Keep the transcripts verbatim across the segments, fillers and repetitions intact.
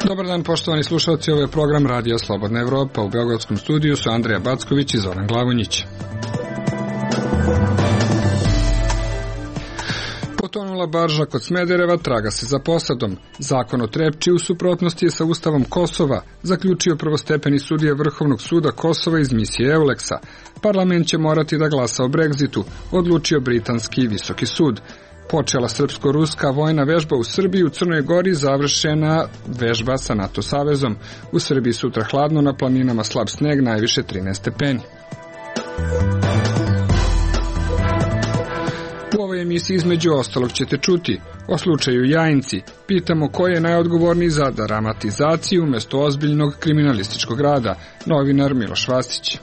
Dobar dan, poštovani slušalci, ovo je program Radija Slobodna Evropa. U beogradskom studiju su Andrija Backović i Zoran Glavonjić. Potonula barža kod Smedereva, traga se za posadom. Zakon o Trepči u suprotnosti je sa Ustavom Kosova, zaključio prvostepeni sudija Vrhovnog suda Kosova iz misije Euleksa. Parlament će morati da glasa o Brexitu, odlučio britanski visoki sud. Počela srpsko-ruska vojna vežba u Srbiji, u Crnoj Gori završena vežba sa NATO savezom. U Srbiji sutra hladno, na planinama slab sneg, najviše trinaest stepeni. U ovoj emisiji između ostalog ćete čuti o slučaju Jajinci. Pitamo ko je najodgovorniji za dramatizaciju umjesto ozbiljnog kriminalističkog rada, novinar Miloš Vastić.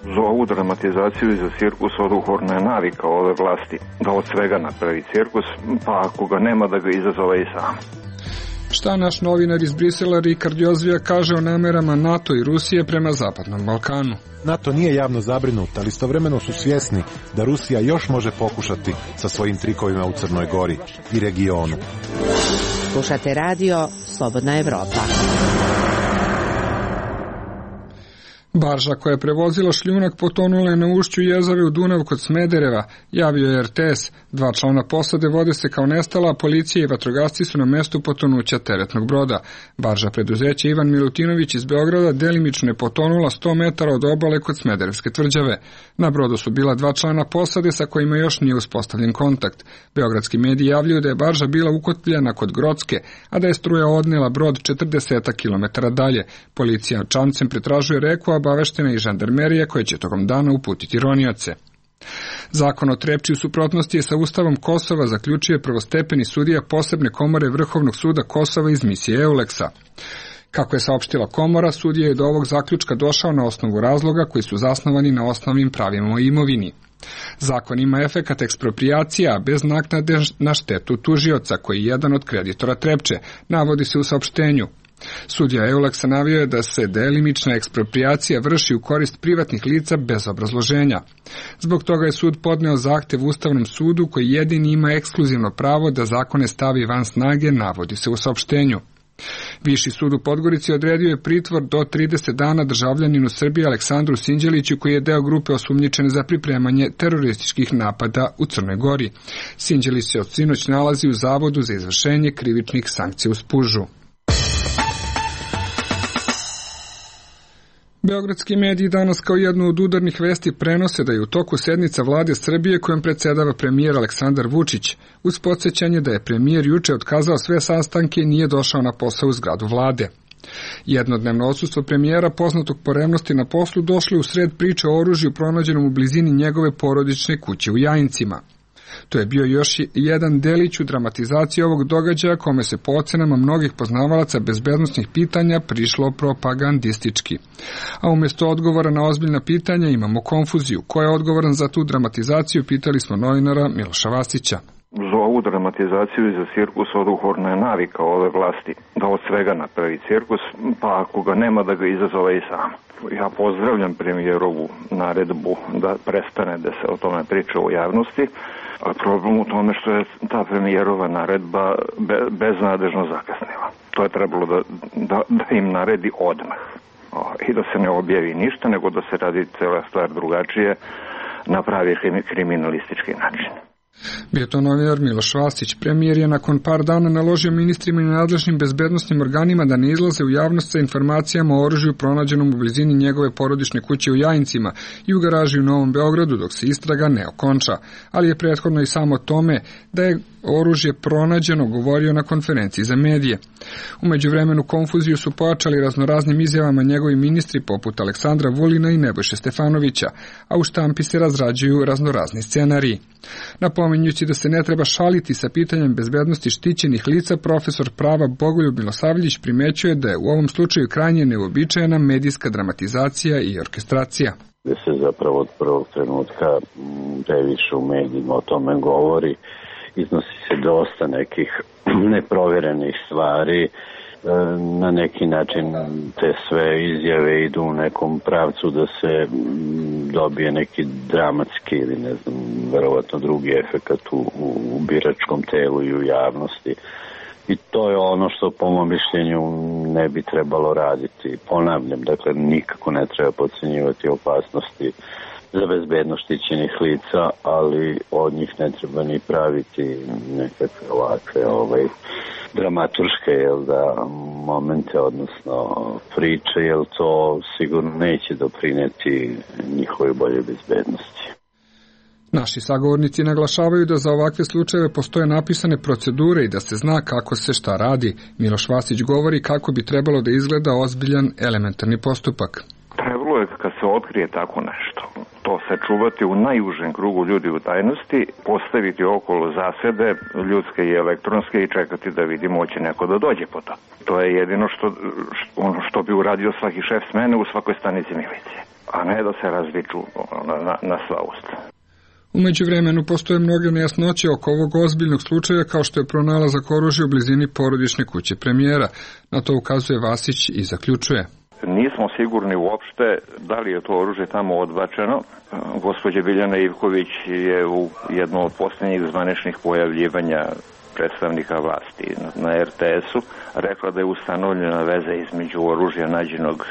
Za ovu dramatizaciju i za cirkus odgovorna je navika ove vlasti da od svega napravi cirkus, pa ako ga nema da ga izazove i sam. Šta naš novinar iz Brisela Rikard Jozvija kaže o namerama NATO i Rusije prema Zapadnom Balkanu? NATO nije javno zabrinut, ali istovremeno su svjesni da Rusija još može pokušati sa svojim trikovima u Crnoj Gori i regionu. Slušate radio Slobodna Evropa. Barža koja je prevozila šljunak potonula je na ušću jezave u Dunav kod Smedereva, javio je er te es. Dva člana posade vode se kao nestala, a policija i vatrogasci su na mestu potonuća teretnog broda. Barža preduzeća Ivan Milutinović iz Beograda delimično je potonula sto metara od obale kod Smederevske tvrđave. Na brodu su bila dva člana posade sa kojima još nije uspostavljen kontakt. Beogradski mediji javljaju da je barža bila ukotljena kod Grocke, a da je struja odnela brod četrdeset kilometara dalje. Policija čamcem pretražuje reku, a obaveštena i žandarmerija koja će tokom dana uputiti ronioce. Zakon o Trepči u suprotnosti je sa Ustavom Kosova, zaključio je prvostepeni sudija posebne komore Vrhovnog suda Kosova iz misije Euleksa. Kako je saopštila komora, sudija je do ovog zaključka došao na osnovu razloga koji su zasnovani na osnovnim pravima o imovini. Zakon ima efekat eksproprijacija, bez naknade na štetu tužioca, koji je jedan od kreditora Trepče, navodi se u saopštenju. Sudija Euleksa navio je da se delimična eksproprijacija vrši u korist privatnih lica bez obrazloženja. Zbog toga je sud podneo zahtev Ustavnom sudu koji jedini ima ekskluzivno pravo da zakone stavi van snage, navodi se u saopštenju. Viši sud u Podgorici odredio je pritvor do trideset dana državljaninu Srbije Aleksandru Sinđeliću, koji je deo grupe osumnjičene za pripremanje terorističkih napada u Crnoj Gori. Sinđelić se od sinoć nalazi u Zavodu za izvršenje krivičnih sankcija u Spužu. Beogradski mediji danas kao jednu od udarnih vesti prenose da je u toku sednica vlade Srbije kojom predsjedava premijer Aleksandar Vučić, uz podsjećanje da je premijer juče otkazao sve sastanke i nije došao na posao u zgradu vlade. Jednodnevno odsustvo premijera, poznatog po revnosti na poslu, došlo je u sred priče o oružju pronađenom u blizini njegove porodične kuće u Jajincima. To je bio još jedan delić u dramatizaciji ovog događaja, kome se po ocenama mnogih poznavalaca bezbednosnih pitanja prišlo propagandistički. A umjesto odgovora na ozbiljna pitanja imamo konfuziju. Ko je odgovoran za tu dramatizaciju, pitali smo novinara Miloša Vastića. Za ovu dramatizaciju i za cirkus odgovorna je navika ove vlasti da od svega napravi cirkus, pa ako ga nema da ga izazove i sam. Ja pozdravljam premijerovu naredbu da prestane da se o tome priča u javnosti, a problem u tome što je ta premijerova naredba be, beznadežno zakasnila. To je trebalo da, da, da im naredi odmah o, i da se ne objavi ništa, nego da se radi cela stvar drugačije na pravi kriminalistički način. Bio to novinar Miloš Vastić. Premijer je nakon par dana naložio ministrima i nadležnim bezbednosnim organima da ne izlaze u javnost sa informacijama o oružju pronađenom u blizini njegove porodične kuće u Jajincima i u garaži u Novom Beogradu dok se istraga ne okonča, ali je prethodno i samo tome da je oružje pronađeno govorio na konferenciji za medije. U međuvremenu konfuziju su pojačali raznoraznim izjavama njegovi ministri poput Aleksandra Vulina i Nebojše Stefanovića, a u štampi se razrađuju raznorazni scenariji. Napominjući da se ne treba šaliti sa pitanjem bezbednosti štićenih lica, profesor prava Bogoljub Milosavljević primećuje da je u ovom slučaju krajnje neuobičajena medijska dramatizacija i orkestracija. Da se zapravo od prvog trenutka previše u medijima o tome govori, iznosi se dosta nekih neprovjerenih stvari, na neki način te sve izjave idu u nekom pravcu da se dobije neki dramatski ili ne znam, verovatno drugi efekat u, u biračkom telu i u javnosti. I to je ono što po mom mišljenju ne bi trebalo raditi. Ponavljam, dakle nikako ne treba podcjenjivati opasnosti za bezbednost štićenih lica, ali od njih ne treba ni praviti nekakve ovakve ovaj, dramaturške jel da, momente, odnosno priče, jer to sigurno neće doprineti njihovoj boljoj bezbednosti. Naši sagovornici naglašavaju da za ovakve slučajeve postoje napisane procedure i da se zna kako se šta radi. Miloš Vasić govori kako bi trebalo da izgleda ozbiljan elementarni postupak. Trebalo je kad se otkrije tako nešto, to sačuvati u najužem krugu ljudi u tajnosti, postaviti okolo zasede ljudske i elektronske i čekati da vidimo hoće neko da dođe po to. To je jedino što, što, ono što bi uradio svaki šef smene u svakoj stanici milicije, a ne da se razviču na, na, na sva usta. U međuvremenu postoje mnoge nejasnoće oko ovog ozbiljnog slučaja, kao što je pronalazak oružja u blizini porodične kuće premijera. Na to ukazuje Vasić i zaključuje. Nismo sigurni uopšte da li je to oružje tamo odbačeno. Gospođa Biljana Ivković je u jednom od posljednjih zvaničnih pojavljivanja predstavnika vlasti na er te esu rekla da je ustanovljena veza između oružja nađenog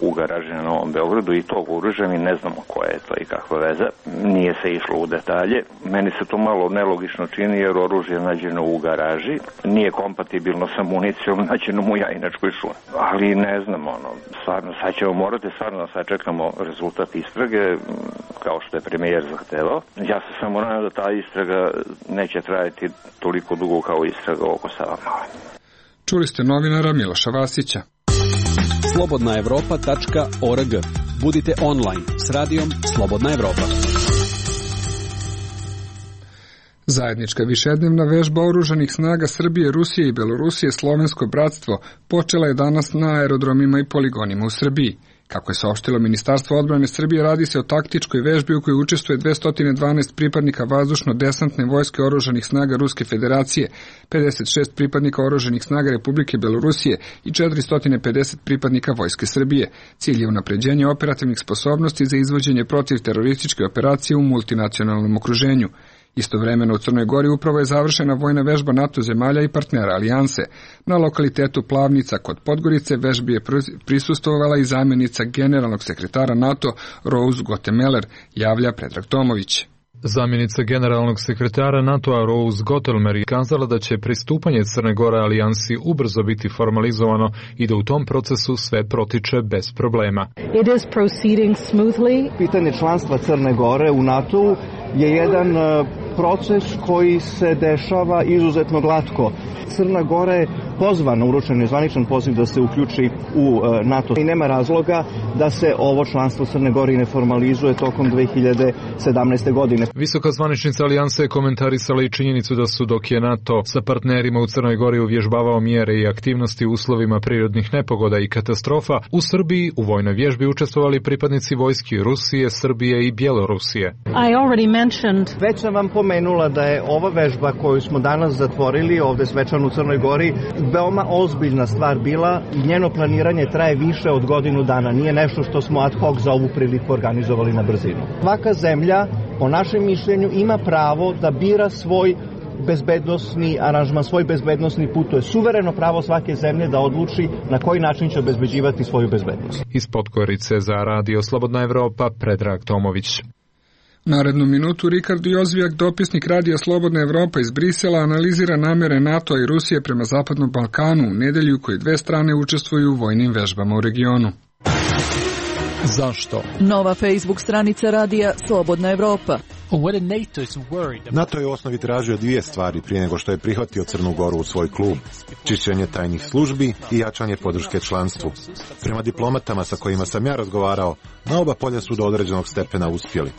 u garaži na Novom Beogradu i tog oružja. Mi ne znamo koja je to i kakva veza. Nije se išlo u detalje. Meni se to malo nelogično čini jer oružje nađeno u garaži nije kompatibilno sa municijom nađenom u Jajinačkoj šumi. Ali ne znam, ono, stvarno, sad ćemo morati stvarno da sačekamo rezultat istrage kao što je premijer zahtevao. Ja se samo nadam da ta istraga neće trajati toliko dugo kao istraga oko Savamale. Čuli ste novinara Miloša Vasića. slobodna evropa tačka org. Budite online s radijom Slobodna Evropa. Zajednička višednevna vežba oružanih snaga Srbije, Rusije i Belorusije Slovensko bratstvo počela je danas na aerodromima i poligonima u Srbiji. Kako je saopštilo Ministarstvo odbrane Srbije, radi se o taktičkoj vežbi u kojoj učestvuje dvesta dvanaest pripadnika vazdušno-desantne vojske oružanih snaga Ruske federacije, pedeset šest pripadnika oružanih snaga Republike Belorusije i četiristo pedeset pripadnika vojske Srbije. Cilj je unapređenje operativnih sposobnosti za izvođenje protivterorističke operacije u multinacionalnom okruženju. Istovremeno u Crnoj Gori upravo je završena vojna vežba NATO zemalja i partnera alijanse. Na lokalitetu Plavnica kod Podgorice vežbi je prisustvovala i zamjenica generalnog sekretara NATO Rose Gottemeller, javlja Predrag Tomović. Zamjenica generalnog sekretara NATO-a Rose Gottemeller je kazala da će pristupanje Crne Gore alijansi ubrzo biti formalizovano i da u tom procesu sve protiče bez problema. It is proceeding smoothly. Pitanje članstva Crne Gore u NATO-u je jedan proces koji se dešava izuzetno glatko. Crna Gora je pozvana, uručen je zvaničan poziv da se uključi u NATO i nema razloga da se ovo članstvo Crne Gore ne formalizuje tokom dve hiljade sedamnaeste. godine. Visoka zvaničnica alijanse je komentarisala i činjenicu da su dok je NATO sa partnerima u Crnoj Gori uvježbavao mjere i aktivnosti u uslovima prirodnih nepogoda i katastrofa, u Srbiji u vojnoj vježbi učestvovali pripadnici vojski Rusije, Srbije i Bjelorusije. I already mentioned... Već sam vam pomenula da je ova vežba koju smo danas zatvorili ovde svečano u Crnoj Gori veoma ozbiljna stvar bila i njeno planiranje traje više od godinu dana. Nije nešto što smo ad hoc za ovu priliku organizovali na brzinu. Svaka zemlja, po našem mišljenju, ima pravo da bira svoj bezbednosni aranžman, svoj bezbednosni put. To je suvereno pravo svake zemlje da odluči na koji način će obezbeđivati svoju bezbednost. Iz Podgorice za Radio Slobodna Evropa, Predrag Tomović. Narednu minutu Ricardo Jozvijak, dopisnik Radija Slobodna Evropa iz Brisela, analizira namere NATO i Rusije prema Zapadnom Balkanu u nedelju koji dve strane učestvuju u vojnim vežbama u regionu. Zašto? Nova Facebook stranica Radija Slobodna Evropa. NATO je u osnovi tražio dvije stvari prije nego što je prihvatio Crnu Goru u svoj klub. Čišćenje tajnih službi i jačanje podrške članstvu. Prema diplomatama sa kojima sam ja razgovarao, na oba polja su do određenog stepena uspjeli.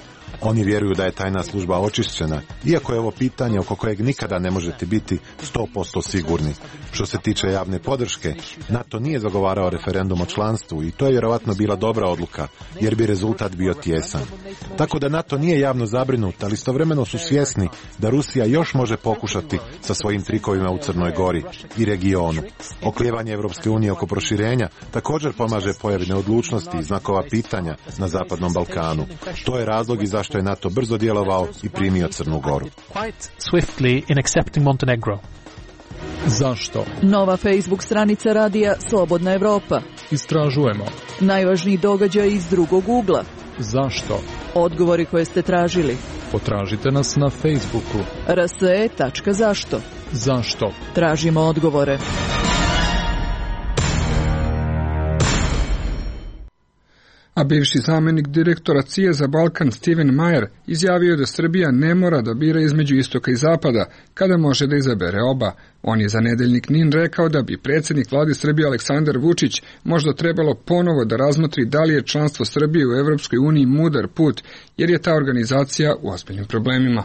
Oni vjeruju da je tajna služba očišćena, iako je ovo pitanje oko kojeg nikada ne možete biti sto posto sigurni. Što se tiče javne podrške, NATO nije zagovarao referendum o članstvu i to je vjerovatno bila dobra odluka, jer bi rezultat bio tijesan. Tako da NATO nije javno zabrinut, ali istovremeno su svjesni da Rusija još može pokušati sa svojim trikovima u Crnoj Gori i regionu. Oklijevanje Evropske unije oko proširenja također pomaže pojavi neodlučnosti i znakova pitanja na Zapadnom Balkanu. To je razlog i zašto je NATO brzo djelovao i primio Crnu Goru. Zašto? Nova Facebook stranica radija Slobodna Evropa. Istražujemo. Najvažniji događaj iz drugog ugla. Zašto? Odgovori koje ste tražili. Potražite nas na Facebooku. r s e tačka zašto. Zašto? Tražimo odgovore. A bivši zamjenik direktora C I E za Balkan Steven Mayer izjavio da Srbija ne mora da bira između istoka i zapada, kada može da izabere oba. On je za nedeljnik N I N rekao da bi predsjednik vlade Srbije Aleksandar Vučić možda trebalo ponovo da razmotri da li je članstvo Srbije u Evropskoj uniji mudar put, jer je ta organizacija u ozbiljnim problemima.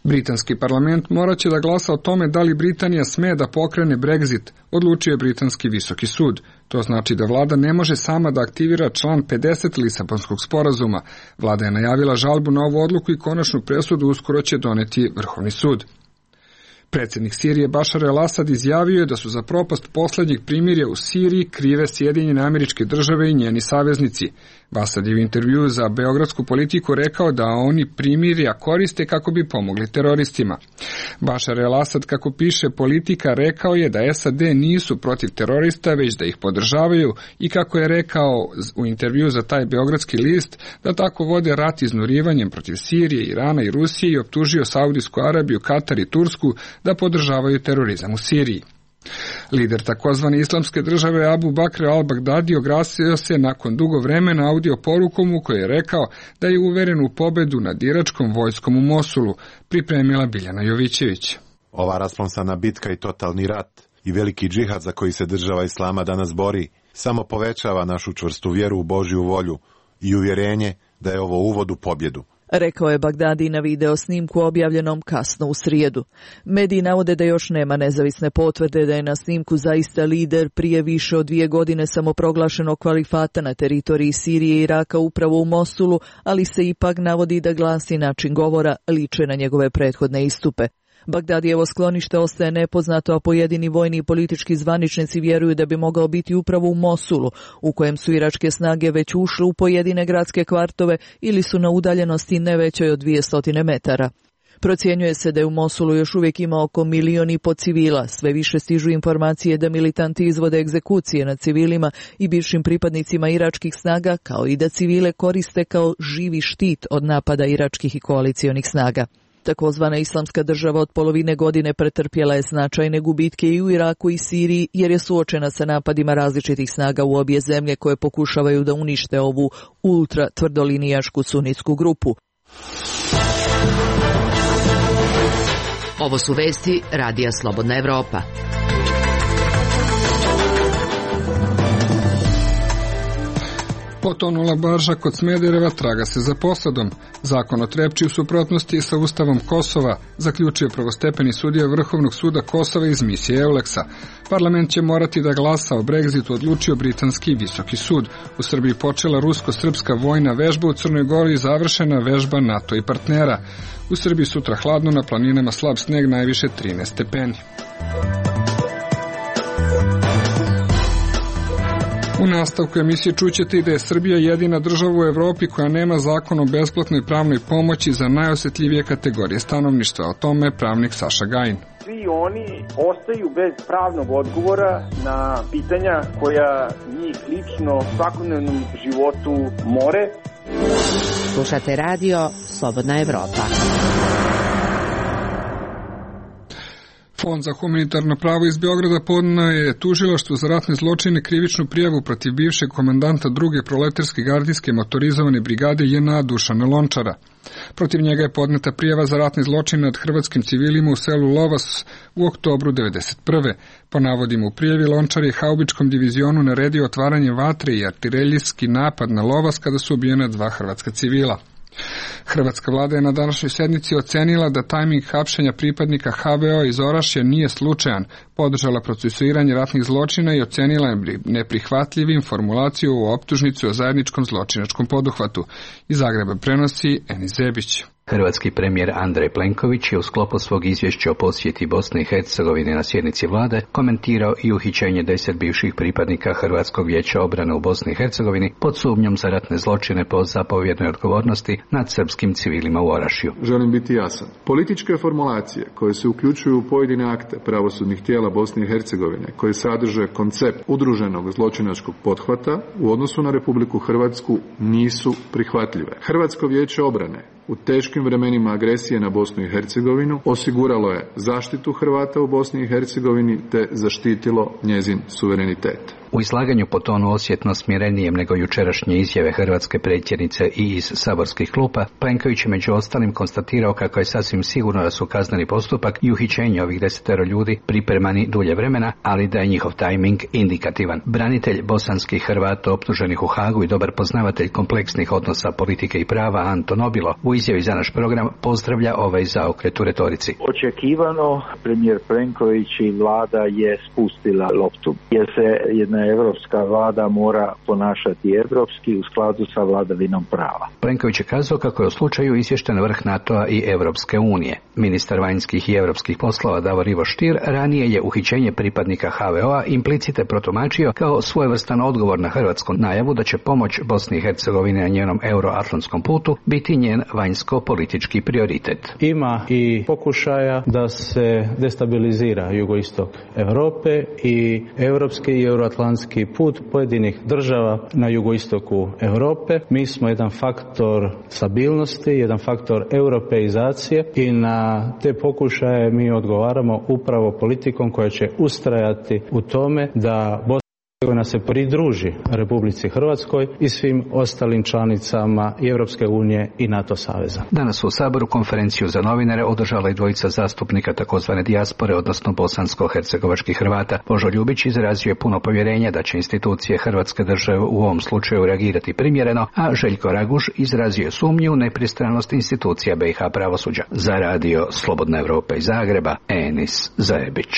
Britanski parlament morat će da glasa o tome da li Britanija sme da pokrene Brexit, odlučio je Britanski visoki sud. To znači da vlada ne može sama da aktivira član pedeset Lisabonskog sporazuma. Vlada je najavila žalbu na ovu odluku i konačnu presudu uskoro će doneti Vrhovni sud. Predsjednik Sirije Bašar el-Asad izjavio je da su za propast poslednjeg primirja u Siriji krive Sjedinjene Američke Države i njeni saveznici. Asad je u intervjuu za beogradsku Politiku rekao da oni primirja koriste kako bi pomogli teroristima. Bašar el-Asad, kako piše Politika, rekao je da S A D nisu protiv terorista, već da ih podržavaju i kako je rekao u intervjuu za taj beogradski list da tako vode rat iznurivanjem protiv Sirije, Irana i Rusije i optužio Saudijsku Arabiju, Katar i Tursku da podržavaju terorizam u Siriji. Lider takozvane islamske države Abu Bakr al-Baghdadi oglasio se nakon dugo vremena audio porukom u kojoj je rekao da je uveren u pobedu nad iračkom vojskom u Mosulu, pripremila Biljana Jovićević. Ova rasplamsana bitka i totalni rat i veliki džihad za koji se država Islama danas bori samo povećava našu čvrstu vjeru u Božju volju i uvjerenje da je ovo uvod u pobjedu. Rekao je Bagdadi na video snimku objavljenom kasno u srijedu. Mediji navode da još nema nezavisne potvrde da je na snimku zaista lider prije više od dvije godine samoproglašenog kalifata na teritoriji Sirije i Iraka upravo u Mosulu, ali se ipak navodi da glas i način govora liče na njegove prethodne istupe. Bagdadijevo sklonište ostaje nepoznato, a pojedini vojni i politički zvaničnici vjeruju da bi mogao biti upravo u Mosulu, u kojem su iračke snage već ušle u pojedine gradske kvartove ili su na udaljenosti ne većoj od dvjesto metara. Procjenjuje se da je u Mosulu još uvijek ima oko milion i po civila. Sve više stižu informacije da militanti izvode egzekucije nad civilima i bivšim pripadnicima iračkih snaga, kao i da civile koriste kao živi štit od napada iračkih i koalicionih snaga. Takozvana islamska država od polovine godine pretrpjela je značajne gubitke i u Iraku i Siriji jer je suočena sa napadima različitih snaga u obje zemlje koje pokušavaju da unište ovu ultra tvrdolinijašku sunitsku grupu. Ovo su vesti Radija Slobodna Evropa. Potonula barža kod Smedereva, traga se za posadom. Zakon o Trepči u suprotnosti sa Ustavom Kosova, zaključio prvostepeni sudija Vrhovnog suda Kosova iz misije Euleksa. Parlament će morati da glasa o Brexitu, odlučio Britanski visoki sud. U Srbiji počela rusko-srpska vojna vežba, u Crnoj Gori završena vežba NATO i partnera. U Srbiji sutra hladno, na planinama slab sneg, najviše trinaest stepeni. U nastavku emisije čućete i da je Srbija jedina država u Evropi koja nema zakon o besplatnoj pravnoj pomoći za najosjetljivije kategorije stanovništva. O tome pravnik Saša Gajin. Svi oni ostaju bez pravnog odgovora na pitanja koja njih lično u svakodnevnom životu more. Slušate radio Slobodna Evropa. Fond za humanitarno pravo iz Beograda podneo je tužilaštvu za ratne zločine krivičnu prijavu protiv bivšeg komandanta druge proletarske gardijske motorizovane brigade J N A Dušana Lončara. Protiv njega je podneta prijava za ratne zločine nad hrvatskim civilima u selu Lovas u oktobru devedeset prve. Po navodima u prijavi, Lončar je haubičkom divizionu naredio otvaranje vatre i artiljerijski napad na Lovas kada su ubijena dva hrvatska civila. Hrvatska vlada je na današnjoj sednici ocenila da tajming hapšenja pripadnika H V O iz Orašja nije slučajan, podržala procesuiranje ratnih zločina i ocenila neprihvatljivim formulaciju u optužnici o zajedničkom zločinačkom poduhvatu. Iz Zagreba prenosi Eni Zebić. Hrvatski premijer Andrej Plenković je u sklopu svog izvješća o posjeti Bosne i Hercegovine na sjednici vlade komentirao i uhićenje deset bivših pripadnika Hrvatskog vijeća obrane u Bosni i Hercegovini pod sumnjom za ratne zločine po zapovjednoj odgovornosti nad srpskim civilima u Orašju. Želim biti jasan. Političke formulacije koje se uključuju u pojedine akte pravosudnih tijela Bosne i Hercegovine koje sadrže koncept udruženog zločinačkog pothvata u odnosu na Republiku Hrvatsku nisu prihvatljive. Hrvatsko vijeće obrane u teškim vremenima agresije na Bosnu i Hercegovinu osiguralo je zaštitu Hrvata u Bosni i Hercegovini te zaštitilo njezin suverenitet. U izlaganju po tonu osjetno smirenijem nego jučerašnje izjave hrvatske predsjednice i iz saborskih klupa, Plenković je među ostalim konstatirao kako je sasvim sigurno da su kazneni postupak i uhićenje ovih desetero ljudi pripremani dulje vremena, ali da je njihov tajming indikativan. Branitelj bosanskih Hrvata optuženih u Hagu i dobar poznavatelj kompleksnih odnosa politike i prava Anton Obilo u izjavi za naš program pozdravlja ovaj zaokret u retorici. Očekivano premijer Plenković i vlada je spustila loptu, jer se jedna evropska vlada mora ponašati evropski u skladu sa vladavinom prava. Plenković je kazao kako je u slučaju izvješten vrh NATO-a i Evropske unije. Ministar vanjskih i europskih poslova Davor Ivo Stier ranije je uhićenje pripadnika H V O-a implicite protumačio kao svojevrstan odgovor na hrvatsku najavu da će pomoć Bosni i Hercegovini na njenom euroatlantskom putu biti njen vanjsko-politički prioritet. Ima i pokušaja da se destabilizira jugoistok Europe i europski i euroatlantski put pojedinih država na jugoistoku Europe. Mi smo jedan faktor stabilnosti, jedan faktor europeizacije i na te pokušaje mi odgovaramo upravo politikom koja će ustrajati u tome da Bosna koja se pridruži Republici Hrvatskoj i svim ostalim članicama i Europske unije i NATO saveza. Danas u Saboru konferenciju za novinare održala i dvojica zastupnika takozvane dijaspore, odnosno bosansko-hercegovačkih Hrvata. Božo Ljubić izrazio je puno povjerenja da će institucije Hrvatske države u ovom slučaju reagirati primjereno, a Željko Raguž izrazio sumnju u nepristranost institucija B i H pravosuđa. Za radio Slobodna Evropa iz Zagreba, Enis Zajebić.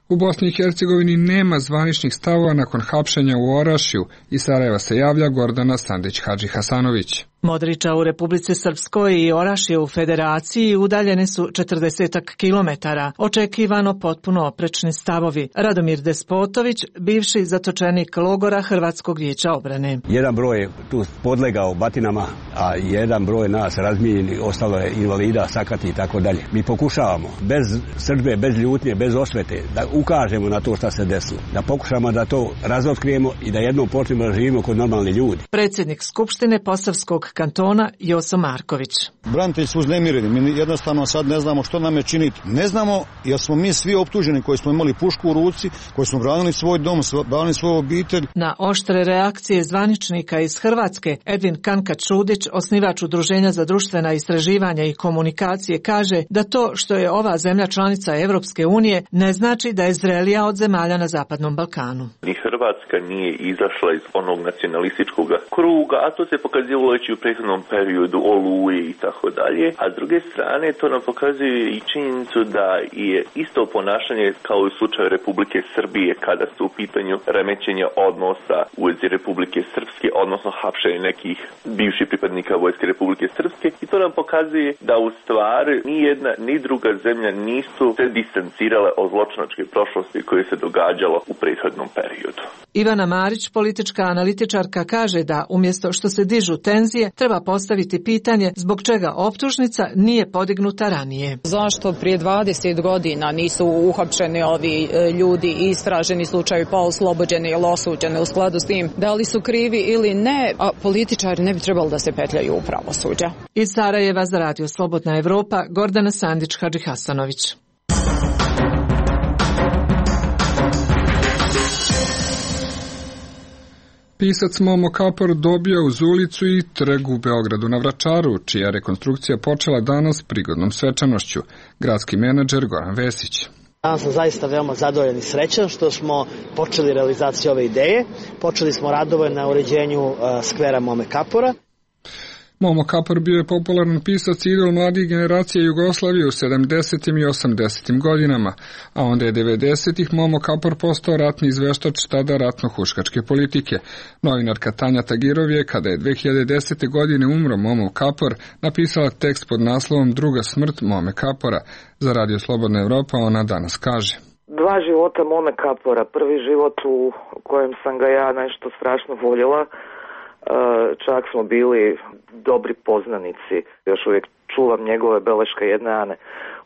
U Bosni i Hercegovini nema zvaničnih stavova nakon hapšenja u Orašju. Iz Sarajeva se javlja Gordana Sandić-Hadžihasanović. Modriča u Republici Srpskoj i Orašje u Federaciji udaljene su četrdesetak kilometara, očekivano potpuno oprečni stavovi. Radomir Despotović, bivši zatočenik logora Hrvatskog vijeća obrane. Jedan broj je tu podlegao batinama, a jedan broj nas razmijenjeni, ostalo je invalida, sakati i tako dalje. Mi pokušavamo bez srdbe, bez ljutnje, bez osvete da ukažemo na to šta se desilo, da pokušamo da to razotkrijemo i da jednom počnemo da živimo kod normalni ljudi. Predsjednik Skupštine Posavskog kantona Joso Marković. Branitelji su uznemireni, mi jednostavno sad ne znamo što nam je činiti. Ne znamo jer smo mi svi optuženi koji smo imali pušku u ruci, koji smo branili svoj dom, branili svoju obitelj. Na oštre reakcije zvaničnika iz Hrvatske, Edvin Kanka-Čudić, osnivač Udruženja za društvena istraživanja i komunikacije, kaže da to što je ova zemlja članica Evropske unije ne znači da je zrelija od zemalja na Zapadnom Balkanu. Ni Hrvatska nije izašla iz onog nacionalističkog kruga, a to se pokazivalo već u prethodnom periodu Oluje i tako dalje. A s druge strane to nam pokazuje i činjenicu da je isto ponašanje kao u slučaju Republike Srbije kada su u pitanju remećenja odnosa u vezi Republike Srpske, odnosno hapšenje nekih bivših pripadnika Vojske Republike Srpske. I to nam pokazuje da u stvari ni jedna ni druga zemlja nisu se distancirale od zločinačke prošlosti koje se događalo u prethodnom periodu. Ivana Marić, politička analitičarka, kaže da umjesto što se dižu tenzije, treba postaviti pitanje zbog čega optužnica nije podignuta ranije. Zašto prije dvadeset godina nisu uhapšeni ovi ljudi i istraženi slučajevi pa oslobođeni ili osuđeni u skladu s tim? Da li su krivi ili ne, a političari ne bi trebali da se petljaju u pravosuđa. Iz Sarajeva za radio Slobodna Evropa, Gordana Sandić-Hadžihasanović. Pisac Momo Kapor dobio uz ulicu i trg u Beogradu na Vračaru, čija rekonstrukcija počela danas prigodnom svečanošću. Gradski menadžer Goran Vesić. Danas sam zaista veoma zadovoljan i srećan što smo počeli realizaciju ove ideje. Počeli smo radove na uređenju uh, skvera Mome Kapora. Momo Kapor bio je popularan pisac i idol mladih generacija Jugoslavije u sedamdesetim i osamdesetim godinama, a onda je devedesetih Momo Kapor postao ratni izveštač tada ratno-huškačke politike. Novinarka Tanja Tagirov je, kada je dve hiljade desete. godine umro Momo Kapor, napisala tekst pod naslovom Druga smrt Mome Kapora. Za Radio Slobodna Evropa ona danas kaže: Dva života Mome Kapora. Prvi život u kojem sam ga ja nešto strašno voljela. Čak smo bili dobri poznanici. Još uvijek čuvam njegove beleške jedne Ane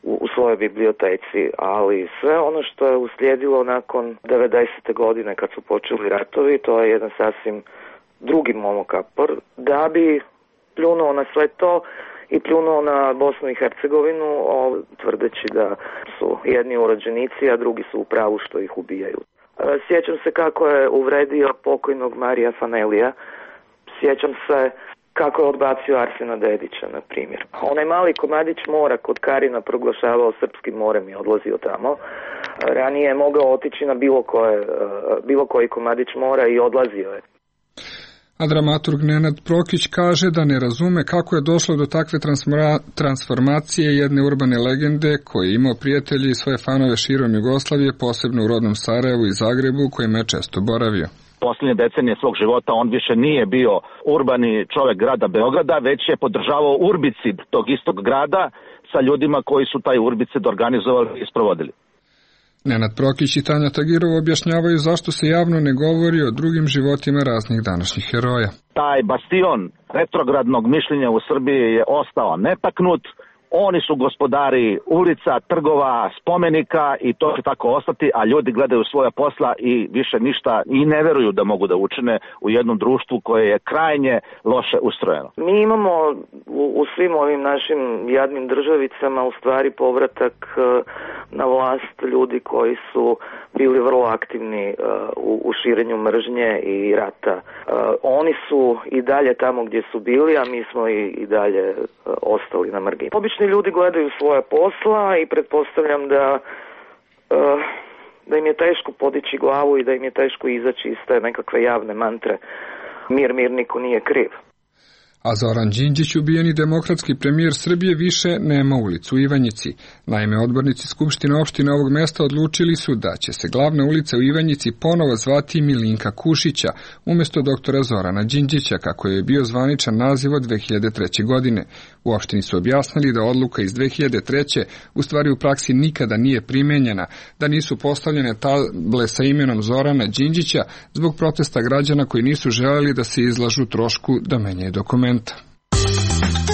u, u svojoj biblioteci. Ali sve ono što je uslijedilo nakon devedesete. godine kad su počeli ratovi, to je jedan sasvim drugi Momo Kapor. Da bi pljunuo na sve to i pljunuo na Bosnu i Hercegovinu, tvrdeći da su jedni urođenici, a drugi su u pravu što ih ubijaju. Sjećam se kako je uvredio pokojnog Marija Fanelija. Sjećam se kako je odbacio Arsena Dedića, na primjer. Onaj mali komadić mora kod Karina proglašavao srpskim morem i odlazio tamo. Ranije je mogao otići na bilo, koje, bilo koji komadić mora i odlazio je. A dramaturg Nenad Prokić kaže da ne razume kako je došlo do takve transformacije jedne urbane legende koji je imao prijatelji i svoje fanove širom Jugoslavije, posebno u rodnom Sarajevu i Zagrebu, u kojima je često boravio. Posljednje decenije svog života on više nije bio urbani čovjek grada Beograda, već je podržavao urbicid tog istog grada sa ljudima koji su taj urbicid organizovali i sprovodili. Nenad Prokić i Tanja Tagirov objašnjavaju zašto se javno ne govori o drugim životima raznih današnjih heroja. Taj bastion retrogradnog mišljenja u Srbiji je ostao netaknut. Oni su gospodari ulica, trgova, spomenika i to će tako ostati, a ljudi gledaju svoja posla i više ništa i ne veruju da mogu da učine u jednom društvu koje je krajnje loše ustrojeno. Mi imamo u, u svim ovim našim jadnim državicama u stvari povratak na vlast ljudi koji su bili vrlo aktivni uh, u, u širenju mržnje i rata. Uh, oni su i dalje tamo gdje su bili, a mi smo i, i dalje uh, ostali na margini. Obični ljudi gledaju svoje posla i pretpostavljam da, uh, da im je teško podići glavu i da im je teško izaći iz te nekakve javne mantre mir, mir, niko nije kriv. A Zoran Đinđić, ubijeni demokratski premijer Srbije, više nema ulicu u Ivanjici. Naime, odbornici Skupštine opštine ovog mesta odlučili su da će se glavna ulica u Ivanjici ponovo zvati Milinka Kušića, umjesto doktora Zorana Đinđića, kako je bio zvaničan naziv od dve hiljade treće. godine. U opštini su objasnili da odluka iz dve hiljade treće. u stvari u praksi nikada nije primenjena, da nisu postavljene table sa imenom Zorana Đinđića zbog protesta građana koji nisu želeli da se izlažu trošku da menjaju dokument.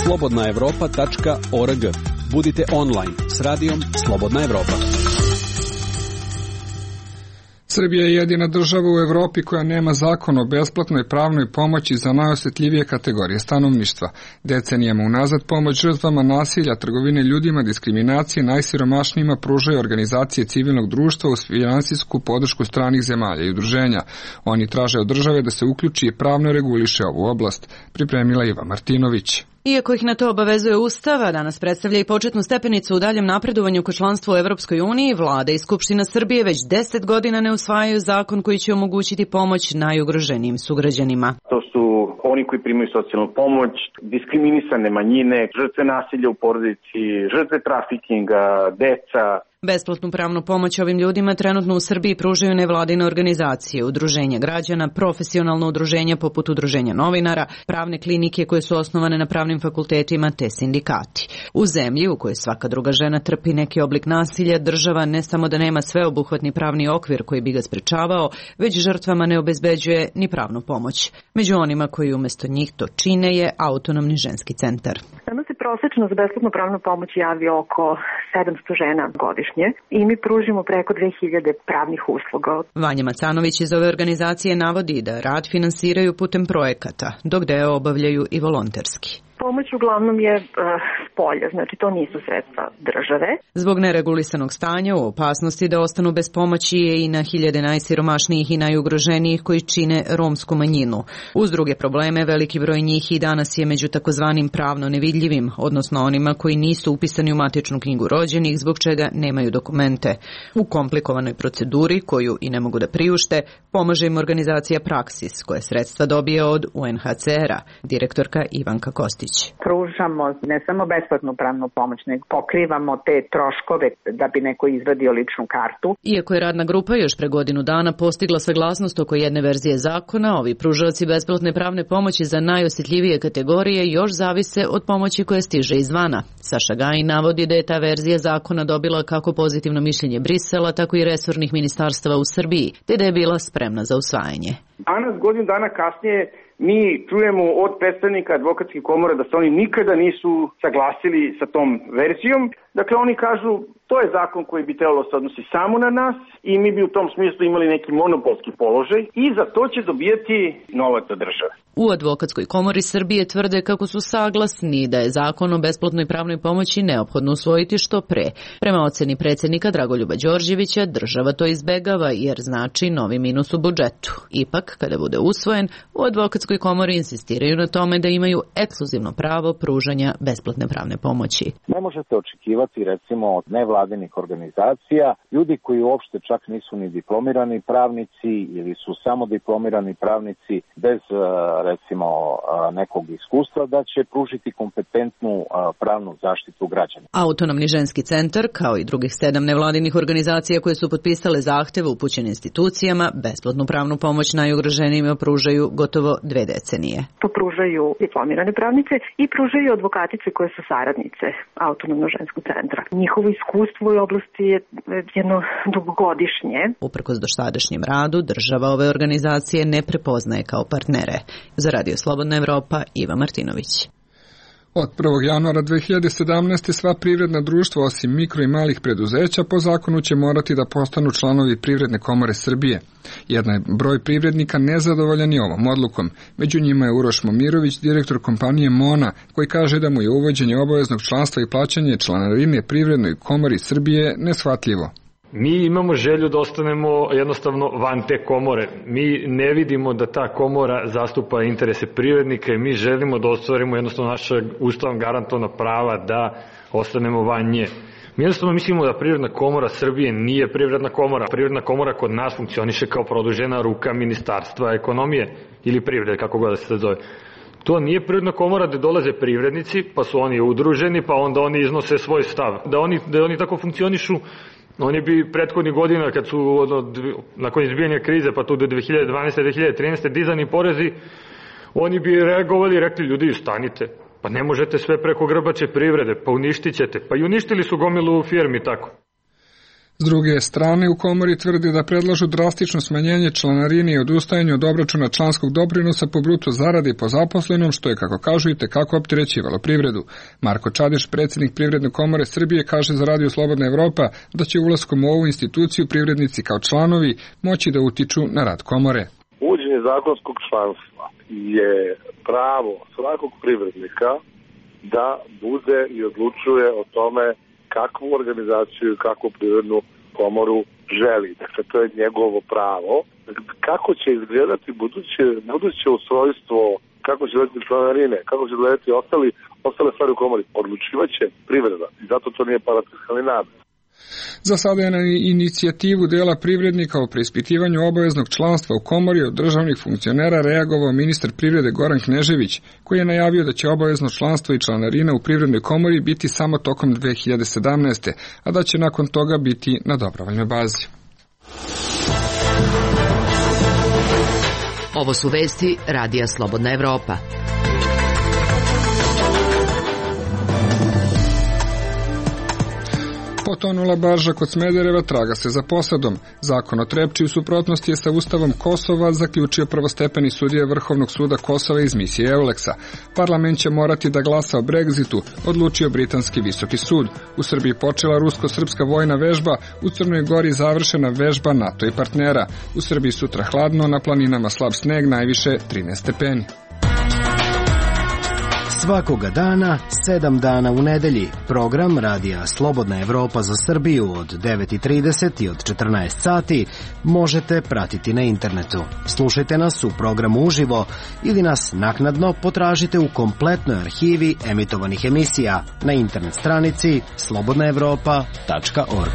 slobodna evropa tačka org. Budite online s radijom Slobodna Evropa. Srbija je jedina država u Evropi koja nema zakon o besplatnoj pravnoj pomoći za najosjetljivije kategorije stanovništva. Decenijama unazad pomoć žrtvama nasilja, trgovine ljudima, diskriminacije najsiromašnijima pružaju organizacije civilnog društva uz finansijsku podršku stranih zemalja i udruženja. Oni traže od države da se uključi i pravno reguliše ovu oblast, pripremila Iva Martinović. Iako ih na to obavezuje Ustava, danas predstavlja i početnu stepenicu u daljem napredovanju ka članstvu u Evropskoj uniji, Vlada i Skupština Srbije već deset godina ne usvajaju zakon koji će omogućiti pomoć najugroženijim sugrađanima. To su oni koji primaju socijalnu pomoć, diskriminisane manjine, žrtve nasilja u porodici, žrtve trafikinga, deca. Besplatnu pravnu pomoć ovim ljudima trenutno u Srbiji pružaju nevladine organizacije, udruženja građana, profesionalno udruženja poput udruženja novinara, pravne klinike koje su osnovane na pravnim fakultetima te sindikati. U zemlji u kojoj svaka druga žena trpi neki oblik nasilja, država ne samo da nema sveobuhvatni pravni okvir koji bi ga sprečavao, već žrtvama ne obezbeđuje ni pravnu pomoć. Među onima koji umjesto njih to čine je Autonomni ženski centar. Nama se prosečno za besplatnu pravnu pomoć javi oko sedamsto žena godišnje i mi pružimo preko dve hiljade pravnih usluga. Vanja Macanović iz ove organizacije navodi da rad finansiraju putem projekata, dok deo obavljaju i volonterski. Pomoć uglavnom je uh, s polja, znači to nisu sredstva države. Zbog neregulisanog stanja u opasnosti da ostanu bez pomoći je i na hiljade najsiromašnijih i najugroženijih koji čine romsku manjinu. Uz druge probleme, veliki broj njih i danas je među takozvanim pravno nevidljivim, odnosno onima koji nisu upisani u matičnu knjigu rođenih, zbog čega nemaju dokumente. U komplikovanoj proceduri, koju i ne mogu da priušte, pomaže im organizacija Praksis, koja sredstva dobije od U N H C R-a, direktorka Ivanka Kostić. Đorđević. Pružamo ne samo besplatnu pravnu pomoć, nego pokrivamo te troškove da bi neko izvadio ličnu kartu. Iako je radna grupa još pre godinu dana postigla saglasnost oko jedne verzije zakona, ovi pružaoci besplatne pravne pomoći za najosjetljivije kategorije još zavise od pomoći koja stiže izvana. Saša Gajin navodi da je ta verzija zakona dobila kako pozitivno mišljenje Brisela, tako i resornih ministarstava u Srbiji, te da je bila spremna za usvajanje. Danas, godinu dana kasnije, mi čujemo od predstavnika advokatskih komora da se oni nikada nisu saglasili sa tom verzijom. Dakle, oni kažu, to je zakon koji bi trebalo se odnosi samo na nas i mi bi u tom smislu imali neki monopolski položaj i za to će dobijati novac od države. U Advokatskoj komori Srbije tvrde kako su saglasni da je zakon o besplatnoj pravnoj pomoći neophodno usvojiti što pre. Prema oceni predsjednika Dragoljuba Đorđevića, država to izbegava jer znači novi minus u budžetu. Ipak, kada bude usvojen, u Advokatskoj komori insistiraju na tome da imaju ekskluzivno pravo pružanja besplatne pravne pomoći. Ne možete očekivati recimo od nevladinih organizacija, ljudi koji uopšte čak nisu ni diplomirani pravnici ili su samo diplomirani pravnici bez recimo nekog iskustva, da će pružiti kompetentnu pravnu zaštitu građana. Autonomni ženski centar, kao i drugih sedam nevladinih organizacija koje su potpisale zahteve upućene institucijama, besplatnu pravnu pomoć najugroženijima pružaju gotovo dve decenije. To pružaju diplomirane pravnice i pružaju advokatice koje su saradnice Autonomnog ženskog centra. Njihovo iskustvo u oblasti je jedno dugogodišnje. Uprkos dosadašnjem radu, država ove organizacije ne prepoznaje kao partnere. Za Radio Slobodna Evropa, Iva Martinović. Od prvog januara dve hiljade sedamnaeste. sva privredna društva osim mikro i malih preduzeća po zakonu će morati da postanu članovi Privredne komore Srbije. Jedan je broj privrednika nezadovoljan i ovom odlukom. Među njima je Uroš Momirović, direktor kompanije Mona, koji kaže da mu je uvođenje obaveznog članstva i plaćanje članarine Privrednoj komori Srbije neshvatljivo. Mi imamo želju da ostanemo jednostavno van te komore. Mi ne vidimo da ta komora zastupa interese privrednika i mi želimo da ostvarimo jednostavno naša ustavom garantovana prava da ostanemo van nje. Mi jednostavno mislimo da Privredna komora Srbije nije Privredna komora. Privredna komora kod nas funkcioniše kao produžena ruka Ministarstva ekonomije ili privrede, kako god da se zove. To nije Privredna komora gde dolaze privrednici, pa su oni udruženi, pa onda oni iznose svoj stav. Da oni, da oni tako funkcionišu, oni bi prethodnih godina, kad su od, nakon izbijanja krize, pa tu do dve hiljade dvanaeste. dve hiljade trinaeste. dizani porezi, oni bi reagovali i rekli, ljudi, stanite, pa ne možete sve preko grbače privrede, pa uništit ćete. Pa i uništili su gomilu firmi tako. S druge strane, u komori tvrdi da predlažu drastično smanjenje članarine i odustajanje od obračuna članskog doprinosa po bruto zaradi po zaposlenom, što je, kako kažu, i tekako opterećivalo privredu. Marko Čadiš, predsjednik Privredne komore Srbije, kaže za Radio Slobodna Evropa da će ulaskom u ovu instituciju privrednici kao članovi moći da utiču na rad komore. Uvođenje zakonskog članstva je pravo svakog privrednika da bude i odlučuje o tome kakvu organizaciju i kakvu privrednu komoru želi. Dakle, to je njegovo pravo. Kako će izgledati buduće, buduće ustrojstvo, kako će izgledati članarine, kako će izgledati ostali, ostale stvari u komori, odlučivaće privreda. I zato to nije parafiskalni namet. Za sada je na inicijativu dela privrednika o preispitivanju obaveznog članstva u komori od državnih funkcionera reagovao ministar privrede Goran Knežević, koji je najavio da će obavezno članstvo i članarina u Privrednoj komori biti samo tokom dve hiljade sedamnaeste. a da će nakon toga biti na dobrovoljnoj bazi. Ovo su vesti Radija Slobodna Evropa. Potonula barža kod Smedereva, traga se za posadom. Zakon o Trepči u suprotnosti je sa Ustavom Kosova, zaključio prvostepeni sudija Vrhovnog suda Kosova iz misije Euleksa. Parlament će morati da glasa o Brexitu, odlučio britanski visoki sud. U Srbiji počela rusko-srpska vojna vežba, u Crnoj Gori završena vežba NATO i partnera. U Srbiji sutra hladno, na planinama slab sneg, najviše trinaest stepeni. Svakoga dana, sedam dana u nedelji, program Radija Slobodna Evropa za Srbiju od devet i trideset i od četrnaest sati možete pratiti na internetu. Slušajte nas u programu uživo ili nas naknadno potražite u kompletnoj arhivi emitovanih emisija na internet stranici slobodna evropa tačka org.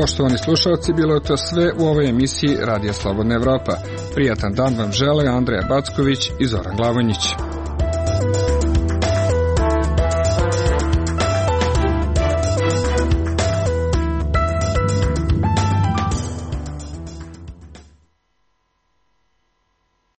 Poštovani slušalci, bilo je to sve u ovoj emisiji Radija Slobodna Evropa. Prijatan dan vam žele Andreja Backović i Zoran Glavonjić.